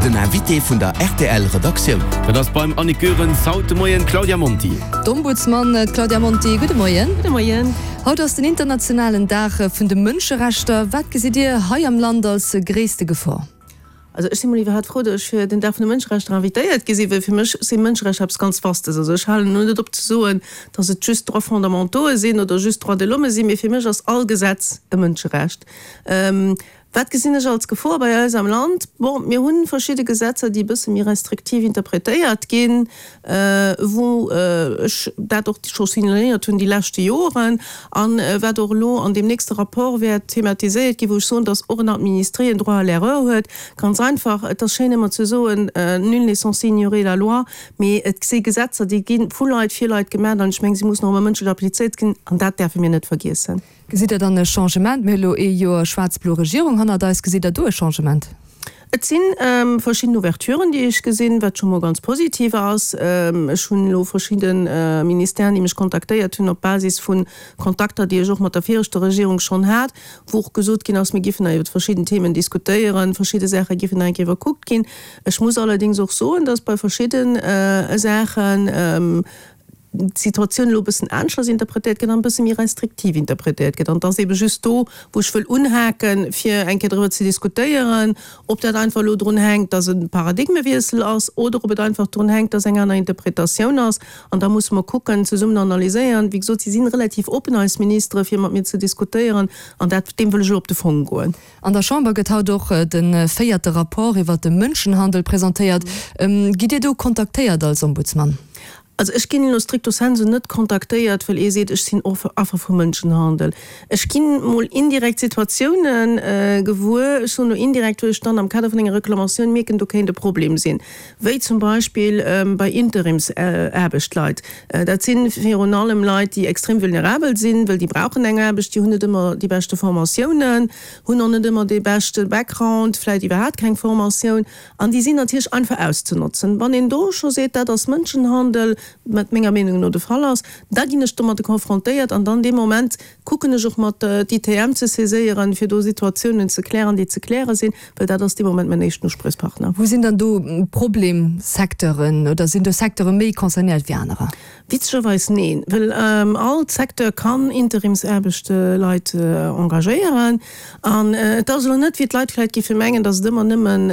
Den Invité vun der rtl Redaktioun. Dat ass beim Annick Goerens haut de Moien d'Claudia Monti. D'Ombudsman, d'Claudia Monti, gudde Moien. Gudde Moien. Haut ass den internationalen Dag vun de Mënscherechter. Wat gesitt Dir hei am Land als gréisste Gefor? Also ech si mol iwwerhaapt frou, datt ech fir den Dag vun de Mënscherechter invitéiert gi sinn, well fir mech si Mënscherechter eppes ganz Vastes. Also ech halen elo net op ze soen, datt et just Droits fondamentaux'e sinn oder just Droits de l'homme sinn, mee fir mech ass all Gesetz e Mënscherecht. Wat gesinn ech als Gefor bei eis am Land? Bon, mir hu verschidde Gesetzer, déi e bësse méi restriktiv interpretéiert ginn, wou ech dat och scho signaléiert hunn déi leschte Joren a wat och elo an deem nächste Rapport wäert thematiséiert ginn, wou ech soen, dass och en Administré en droit à l'erreur huet. Ganz einfach, et ass schéin ëmmer ze soen, nul n'est censé ignorer la loi, mee et si Gesetzer, déi gi vu Leit fir Leit gemaach an ech mengen, si mussen och ëmmer mënschlech applizéiert ginn an dat däerfe mir net vergiessen. Gesitt Der dann e Changement? Mir hu elo ee Joer schwaarz-blo Regierung hannert eis. Gesitt Der do e Changement? Et si verschidden Ouverturen, déi ech gesinn, wat scho mol ganz positiv ass. Ech hunn elo verschidde Ministèren, déi mech kontaktéiert hunn op Basis vu Kontakter, déi ech och mat der viregter Regierung schonn hat, wou och gesot ginn ass, mir giffen nach iwwer verschidden Themen diskutéieren, verschidde Saache giffen nach eng Kéier iwwerkuckt ginn. Ech muss allerdéngs och soen, dass bei verschidde Saachen, d'Situatioun elo e bëssen aneschters interpretéiert gëtt an e bësse méi restriktiv interpretéiert gëtt. An et ass eebe just do, wou ech wëll unhaken, fir eng Kéier driwwer ze diskutéieren, ob dat einfach elo drun hänkt, dass e Paradigmewiessel ass, oder ob et einfach drun hänkt, dass eng aner Interpretatioun ass. An da musse mer kucken, zesummen analyséieren. Wéi gesot, si si relativ oppen, eis Ministere, fir mat mir ze diskutéieren. An dat, deem wëll ech elo op de Fong goen. An der Chamber gëtt haut och de véierte Rapport iwwer de Mënschenhandel presentéiert. Gitt Dir do kontaktéiert als Ombudsman? Also ech ginn elo stricto sensu net kontaktéiert, well ee seet, ech sinn Affer vu Mënschenhandel. Ech ginn mol indirekt Situatioune gewuer, ech soen elo indirekt, wou ech dann am Kader vun enger Reklamatioun mierken, do kéint e Problem sinn, wéi zum Beispill bei Interimsaarbechtleit. Dat si virun allem Leit, déi extrem vulnerabel sinn, well déi brauchen eng Aarbecht, déi hunn net ëmmer déi beschte Formatiounen, hunn och net ëmmer dee beschte Background, vläicht iwwerhaapt keng Formatioun an déi sinn natierlech einfach auszenotzen. Wann een do scho seet, dat ass Mënschenhandel, wat menger Meenung no de Fall ass, da ginn ech domadde konfrontéiert an dann dee Moment kucken ech och mat d'ITM ze saiséieren, fir do Situatiounen ze klären, déi ze kläre sinn, well dat ass dee Moment mäin éischten Uspriechpartner. Wou sinn dann do Problemsecteuren oder sinn do Secteure méi concernéiert wéi anerer? Witzegerweis neen, well all Secteur kann Interimsaarbechtleit engagéieren. An et ass elo net, wéi d'Leit vläicht géife mengen, datt et ëmmer nëmmen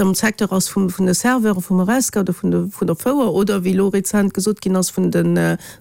am Secteur ass vun de Serveuren, vum Horesca oder vun der Fouer oder, wéi elo rezent gesot ginn ass, vun de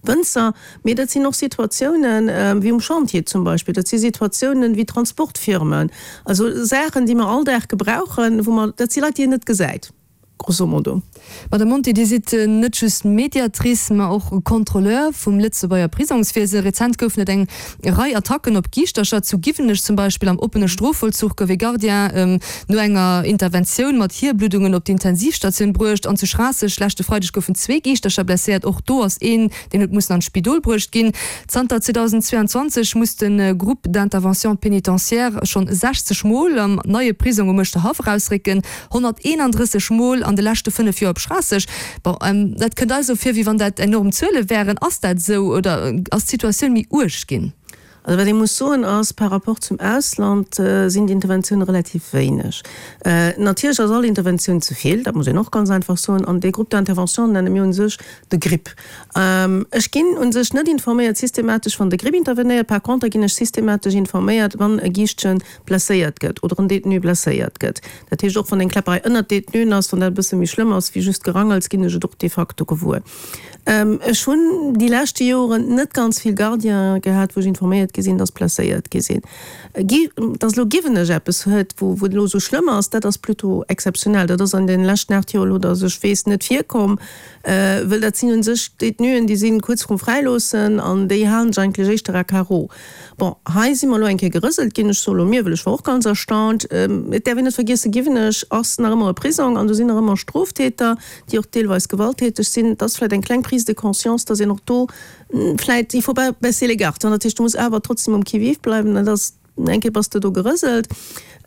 Wënzer. Mee dat sinn och Situatiounen wéi um Chantier zum Beispill, dat si Situatiounen wéi Transportfirmen, also Saachen, déi mer all Dag gebrauchen, wou mer, dat si Leit, déi een net gesäit, grosso modo. Madame Monti, Dir sidd net just Mediatrice, ma och Contrôleur vum Lëtzebuerger Prisongswiese. Rezent goufen et eng Rei Attacken op Giischtercher, zu Giwenech zum Beispill. Am oppene Strofvollzuch gouf ee Gardien no enger Interventioun mat Hierbluddungen op d'Intensivstatioun bruecht. An zu Schraasseg leschte Freideg goufen zwee Giischtercher blesséiert, och do ass een Deen huet mussen an d'Spidol bruecht ginn. Zanter 2022 muss de Groupe d'intervention pénitentiaire schonn 60 Mol am neie Prisong um Uerschterhaff erausrécken, 131 Mol an de leschte 5 Joer op Schraasseg. Bon, dat kënnt eis esou vir, wéi wann dat enorm Zuele wären. Ass dat esou oder ass d'Situatioun méi uerg ginn? Also wat ee muss soen ass, par rapport zum Ausland sinn d'Interventioune relativ wéineg. Natierlech ass all Interventioun ze vill, dat muss een och ganz einfach soen. An dee Groupe d'intervention nenne mir u sech de GRIP. Ech ginn u sech net informéiert systematesch, wann de GRIP intervenéiert. Par conter ginn ech systematesch informéiert, wann e Giischtje blesséiert gëtt oder en Détenu blesséiert gëtt. Dat heescht, och wann eng Kläpperei ënnert Détenuen ass, wann dat e bësse méi schlëmm ass wéi just Gerangels, ginn ech et och de facto gewuer. Ech hunn déi leschte Joren net ganz vill Gardiene gehat, wou ech informéiert gi sinn, dass blesséiert gi sinn. Dass elo Giwenech eppes huet, wou et elo esou schlëmm ass, dat ass plutôt exzeptionell. Dat ass an deene leschten 8 Joer elo, dass ech weess, net virkomm. Wëll dat sinn u sech Détenuen, déi si kuerz vrum Fräiloossen an déi halen sech eigentlech éischter à carreau. Bon, hei si mer elo eng Kéier gerëselt ginn. Ech soe elo mir, well ech war och ganz erstaunt. Et däerf een net vergiessen, Giwenech ass nach ëmmer e Prisong an do sinn nach ëmmer Stroftäter. déi och deelweis gewalttäteg sinn, et ass vläicht eng kleng Prise de conscience, dass een och do vläicht, il faut pas baisser les gardes, dat heescht, du muss awer trotzdem um Qui-vive bleiwen, dat ass, eng Kéier bass de do gerëselt.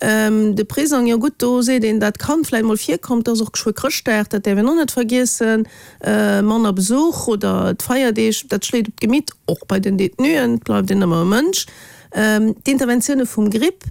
De Prisong, jo gutt, do seet een, dat kann vläicht mol virkommen, et ass och geschwë Chrëschtdag, dat däerf een och net vergiessen, manner Besuch oder d'Feierdeeg, dat schléit op d'Gemitt, och bei den Détenuen, et bleift een ëmmer e Mënsch. D'Interventioune vum GRIP,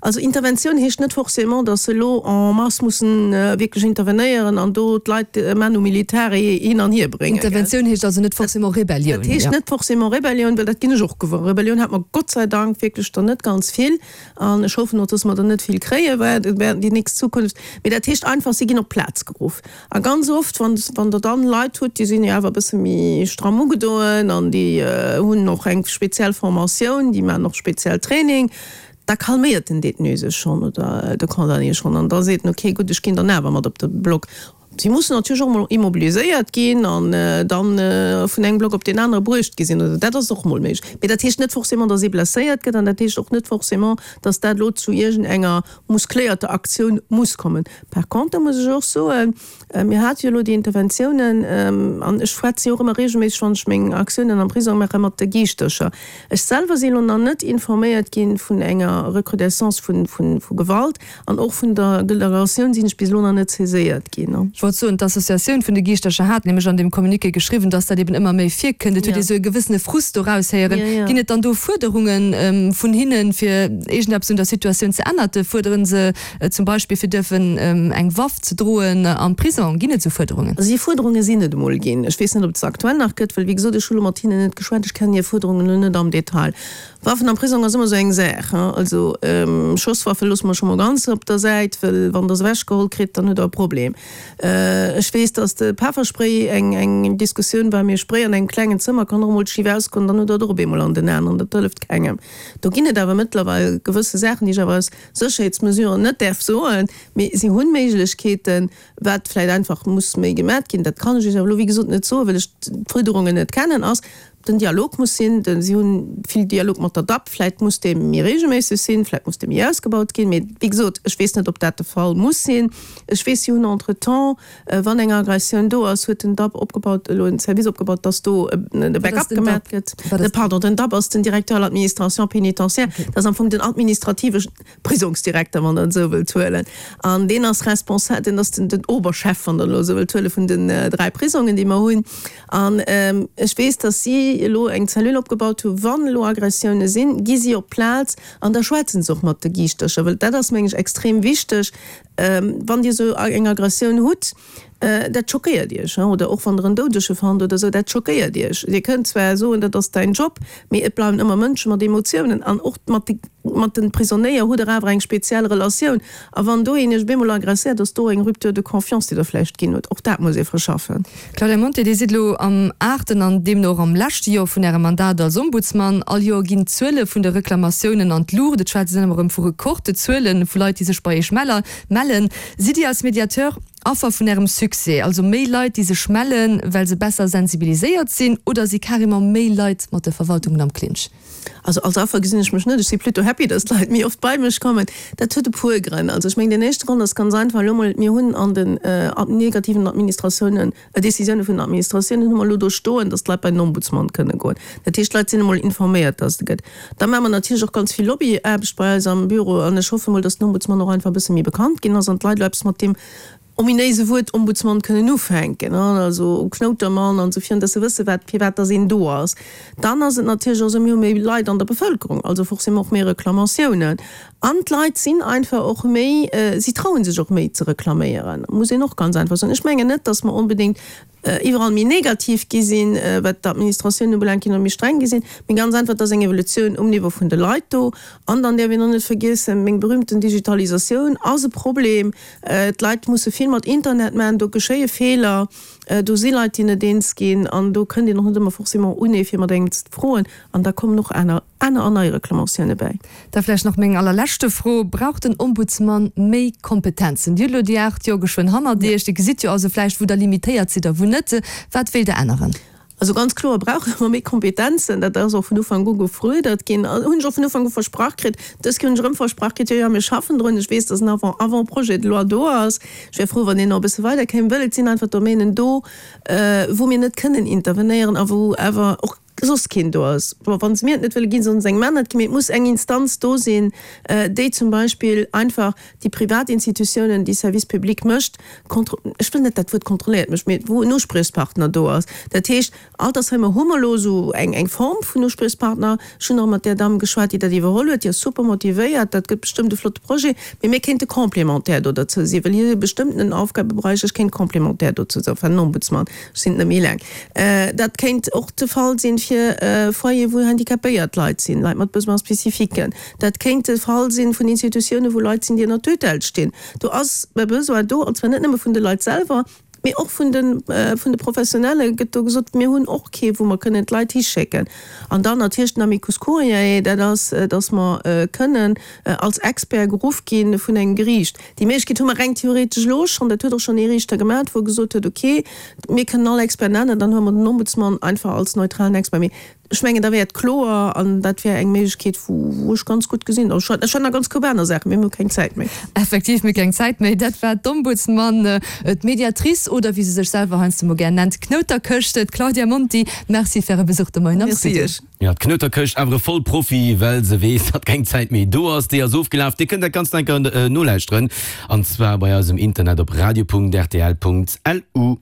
also Interventioun heescht net forcément, datt se elo en masse mussen wierklech intervenéieren an do d'Leit manu militari hin an hier bréngen. Interventioun heescht also net forcément Rebellioun. Dat heescht net forcément Rebellioun, well dat ginn ech och gewuer. Rebellioun hat mer Gott sei Dank wierklech der net ganz vill an ech hoffen och, datt mer der net vill kréie während déi nächst Zukunft. Mee dat heescht einfach, si ginn op d'Plaz geruff. A ganz oft, wann, wann Der dann Leit hutt, déi sinn jo awer e bësse méi stramm ugedoen an déi hunn och eng speziell Formatioun, déi maachen och speziell Training, da calméiert den Détenu sech schonn oder de Condamné schonn an da seet en, okay, gutt, ech ginn dann awer mat op de Block. Si mussen natierlech och emol immobiliséiert ginn an dann vun engem Block op deen anere bruecht gi sinn, oder dat ass och emol méiglech. Mee dat heescht net forcément, dass ee blesséiert gëtt an dat heescht och net forcément, dass dat elo zu iergendenger muscléierter Aktioun muss kommen. Par contre muss ech och soen, mir hate jo elo déi Interventiounen, an ech schwätze jo och ëmmer regelméisseg, wann ech meng Aktiounen am Prisong maachen, mat de Giischtercher. Ech selwer si elo nach net informéiert gi vun enger Recrudescence vu Gewalt an och vun der Delegatioun sinn ech bis elo nach net saiséiert ginn. Ech wollt soen, d'Associatioun vun de Giischtercher hat nämlech an deem Communiqué geschriwwen, dass dat eben ëmmer méi virkënnt. Et huet ee sou e gewëssene Frust do raushéieren. Ginn et dann do Fuerderunge vun hinnen, fir iergendeppes un der Situatioun ze ännerte? Fuerdere se zum Beispill, fir duerfen eng Waff ze droen am Prisong? Ginn et esou Fuerderungen? Also déi Fuerderunge sinn et emol ginn. Ech weess net, ob et se aktuell nach gëtt, well wéi gesot, ech hu lo mat hinnen net geschwat, ech kennen hir Fuerderungen elo net am Detail. Waffen am Prisong ass ëmmer esou eng Saach. Also Schosswaffe loosse mer scho mol ganz op der Säit, well wann Der se ewechgeholl kritt, dann hutt Der e Problem. Ech weess, datt de Pefferspray eng eng Diskussioun war, mee Spray an engem klengen Zëmmer kann och emol schif ausgoen, dann hutt Der et och op eemol an den Aen an dat hëlleft kengem. Do ginn et awer mëttlerweil gewësse Saachen, déi ech awer aus Sécherheetsmesuren net däerf soen, mee si hunn Méiglechkeeten, wat vläicht einfach muss méi gemat ginn, dat kann ech Iech awer elo wéi gesot net soen, well ech d'Fuerderungen net kennen, ass, den Dialog muss sinn, de si hunn vill Dialog mat der dap, vläicht muss dee méi regelméisseg sinn, vläicht muss dee méi ausgebaut ginn, mee wéi gesot, ech weess net, ob dat de Fall muss sinn. Ech weess, si hunn entretemps, wann eng Aggressioun do ass, huet den dap opgebaut, elo en Service opgebaut, dass do e Backup gemat gëtt. Pardon, den dap ass den Directeur à l'administration pénitentiaire, dat ass am Fong den administrative Prisongsdirekter, wann Der et esou wëllt huelen. An deen ass responsa-, deen ass den, den Oberchef, wann Der elo esou wëllt huelen, vun den 3 Prisongen, déi mer hunn. An ech weess, dass si elo eng Cellule opgebaut hunn, wann elo Aggressioune sinn, gi si op d'Plaz an da schwätzen se och mat de Giischtercher, well dat ass, meng ech, extrem wichteg, wann Dir esou eng Aggressioun hutt, dat schockéiert Iech, oder och wann Der en Doudege fannt oder esou, dat schockéiert Iech. Dir kënnt zwar soen, dat ass däin Job, mee et bleiwen ëmmer Mënsche mat Emotiounen an och mat de mat de Prisonéier hutt Der awer eng speziell Relatioun. A wann do een Iech op eemol agresséiert, ass do eng Rupture de confiance, déi Der vläicht ginn hutt. Och dat muss ee verschaffen. Claudia Monti, Dir sidd elo am aachten an deemno och am leschte Joer vun Ärem Mandat als Ombudsman. All Joer ginn d'Zuele vun de Reklamatiounen an d'Luucht. Et schwätzt een ëmmer erëm vu Rekordzuele vu Leit, déi sech bei Iech mellen. Sidd Dir als Mediateur Affer vun Ärem Succès? Also méi Leit, déi sech mellen, well se besser sensibiliséiert sinn, oder si carrément méi Leit mat de Verwaltungen am Clinch? Also als Affer gesinn ech mech net. Ech si plutôt happy, dass d'Leit méi oft bei mech kommen. Dat huet e puer Grënn. Also ech mengen, deen éischte Grond ass ganz einfach, elo mol, mir hunn an den negativen Administratiounen, Décisioune vun den Administratiounen hu mer elo do stoen, dass d'Leit bei den Ombudsman kënne goen. Dat heescht, d'Leit sinn emol informéiert, dass et e gëtt. Da maache mer natierlech och ganz vill Lobbyaarbecht bei eis am Büro an ech hoffe mol, dass den Ombudsman och einfach e bësse méi bekannt ginn ass an d'Leit elo eppes mat deem ominéise Wuert Ombudsman kënnen ufänken, also Knoutermann an esou virun, dass se wësse wat, firwat dass een do ass. Dann ass et natierlech och esou, mir hu méi Leit an der Bevëlkerung, also forcément och méi Reklamatiounen. An d'Leit sinn einfach och méi, si traue sech och méi ze reklaméieren, muss een och ganz einfach soen. Ech mengen net, dass mer onbedéngt iwwerall méi negativ gi sinn, wat d'Administratioun ubelaangt, ginn oder méi streng gi sinn, mee ganz einfach, et ass eng Evolutioun um Niveau vun de Leit do. An dann däerf een och net vergiessen, meng berühmten Digitalisatioun ass e Problem. D'Leit musse vill mat Internet maachen, do geschéie Feeler, do si Leit, déi net eens ginn an do kënnt een och net ëmmer forcément un ee fir mat engem ze froen an da kommen och aner aner an nei Reklamatioune bäi. Da vläicht nach meng allerleschte Fro, Brauch den Ombudsmann méi Kompetenzen? Dir hutt elo déi 8 Joer geschwënn hannert Iech. Dir gesitt jo also vläicht, wou Der limitéiert sidd a wou net. Wat wéilt Der änneren? Also ganz kloer brauche mer méi Kompetenzen. Dat ass och vun Ufank u gefruerdert ginn. Hunn ech och vun Ufank u versprach kritt. Dës Kéier hunn ech erëm versprach kritt, jo, jo, mir schaffen drun. Ech weess, dass en Avant, Avant-projet de loi do ass. Ech wär frou, wann deen nach e bësse weiderkéim, wëll et sinn einfach Domänen do, wou mir net kënnen intervenéieren a wou awer och. soss keen do ass. Bon, wa se mir et net wëlle ginn, sollen se engem aneren et ginn, mee et muss eng Instanz do sinn, déi zum Beispill einfach déi privat Institutiounen, déi Service public mécht, kontro, ech wëll net dat Wuert kontrolléiert mécht, mee wou en Uspriechspartner do ass. Dat heescht, Altersheimer hu mer elo esou eng eng Form vun Uspriechspartner. Ech hunn och mat där Damm geschwat, déi dat iwwerholl huet. Déi ass super motivéiert. Dat gëtt bestëmmt e flotte Projet. Mee mir kéinte complémentaire do derzou sinn, well hir bestëmmtenen Aufgabeberäich, ech kéint complémentaire dozou sinn, enfin den Ombudsman, ech sinn et net méi eleng. Dat kéint och de Fall sinn fir Foyere wou handicapéiert Leit sinn, Leit mat Besoins spécifiques. Dat kéint de Fall sinn vun Institutiounen, wou Leit sinn, déi ënner Tutelle stinn. Do ass e Besoin do, an zwar net nëmme vun de Leit selwer, Mee och vun de vun de Professionelle gëtt do gesot, mir hunn och kee wou mer kënnen d'Leit hischécken. An dann natierlech den Amicus curiae, dat ass, datt mer kënnen als Expert geruff gi vun engem Geriicht. Déi Méiglechkeet hu mer reng theoretesch elo schonn, dat huet och schonn ee Riichter gemat, wou e gesot huet, okay, mir kënnen all Expert nennen, dann huele mer den Ombudsman einfach als neutralen Expert. Mee Ech mengen, da wär et kloer an dat wär eng Méiglechkeet, wou ech ganz gutt gesinn. Ech hätt nach ganz koup aner Saachen, mee mir hu keng Zäit méi. Effektiv, mir hu keng Zäit méi. Dat war d'Ombudsman, d'Mediatrice oder wéi se sech selwer heiansdo mol gär nennt, d'Knouterkëscht, d'Claudia Monti. Merci fir Äre Besuch de Moien am Studio. Merci Iech. Jo, d'Knouterkëscht, awer e Vollprofi, well se weess, datt keng Zäit méi do ass. Déi ass ofgelaf. Dir kënnt dat Ganzt nach eng Kéier nolauschteren, an zwar bei eis um Internet op radio.rtl.lu.